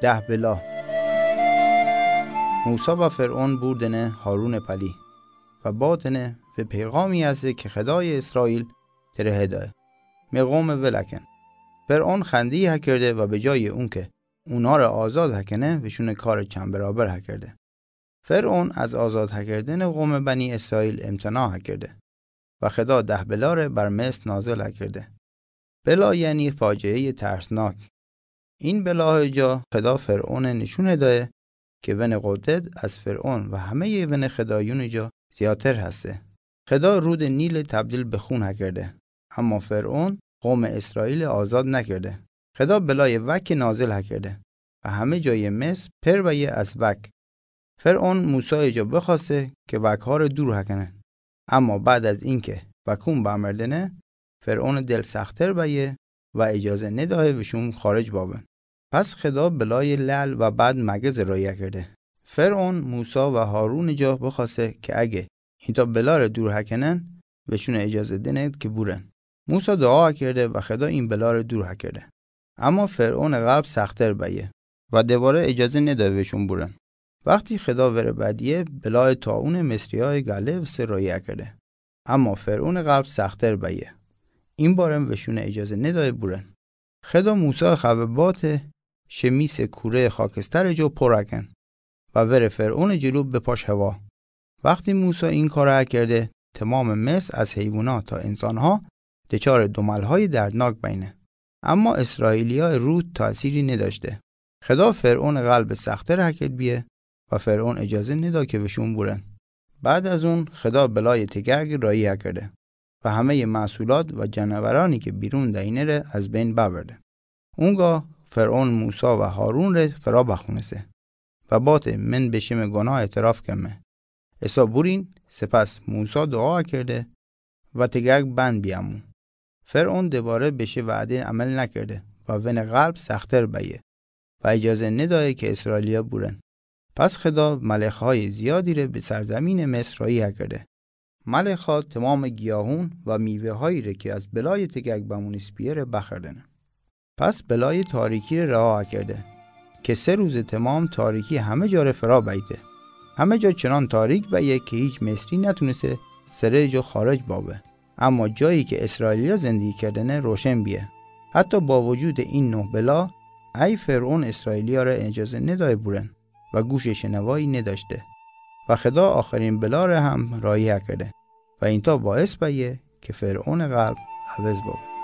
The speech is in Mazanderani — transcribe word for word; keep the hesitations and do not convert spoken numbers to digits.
Dahbela. Musa va Fer'on burdene Harune pali, va batene ve peyğami heste ke Xedayê İsrail tireheda, me ğome vıl aken. Fer'on xendi hakerde va be cayê un ke unare azad hakene, veşune kare çend beraber hakerde. Fer'on az azad hakerdene ğome beni İsrail imtina hakerde. Va Xeda dahbelare bar mest nazil hakerde. Bela yani facieyê tersnak. In belaê ca Xeda Fer'one nişune daye ke vene qudet az Fer'on va hameyê vene xedayune ca ziyadter heste. Xeda rude Nile tebdil be xun hakerde. Ama Fer'on ğome İsraili azad nakerde. Xeda belayê veki nazil hakerde. Va hame cayê mest per baye az vek. Fer'on Musaê ca bıxaste ke vekhare dur hakene. Ama bad az inke vekun bamerdene, Fer'one del sexter baye va icaze nedaye veşun xaric baben. Pes Xeda belayê le'l va bad megeze rayi hakerde. Fer'on Musa va Harune ca bıxaste ke ege inta belare dur hakenen, veşune icaze dene ke buren. Musa dua hakerde va Xeda in belare dur hakerde. Ama Fer'one ğelb sexter baye va debare icaze nedaye veşun buren. Vexti Xeda vere bediye, belayê taune Misriyayê gale vıste rayi hakerde. Ama Fer'one ğelb sexter baye. In baren veşune icaze nedaye buren. Xeda Musa xeve bate, şe misê kureyê xakestere ca por aken. Va vere Fer'one celu bepaş hewa. Vexti Musa in kare akerde, temamê mest az heywuna ta insanha deçarê domelhayê derdnak beyne. Ama İsrailiyayê ruh tasiri nedaşte. Xeda Fer'one ğelbe sexter hakerd biye, va Fer'on icaze neda ke veşun buren. Bad az un Xeda belayê tegergi rayi hakerde. Va hameyê mehsulat va canaverani ke birun deyne re az beyn beverde. Unga Fer'on Musa va Harun re fera bexunese. Va bate, men be şime gunah etiraf keme. Esa burin, sipes Musa dua kerde, va tegerg bend biyamu. Fer'on debare be şi vade emel nakerde, va vene ğelb sexter beye. Va icaze nedaye ke İsrailiya buren. Pes Xeda melexhayê ziyadi re be serzeminê Misr rayi hakerde. Melexha temamê giyahun va mivehayi re ke az belayê tegerg bemunis biye re bexerdene. Pes belayê tariki re reha hakerde, ke se ruze temam tariki hame ca re fera beyte. Hame ca çınan tarik beye ke hiç Misri netunise sereyê ca xaric babe. Ama cayi ke İsrailiya zindigi kerdene roşen biye. Heta ba vucudê in nuh bela, ey Fer'on İsrailiya re icaze nedaye buren. Va guşê şenevayi nedaşte. Va Xeda axirin bela re hem rayi hakerde. Va inta baes beye ke Fer'one ğelb evez babe.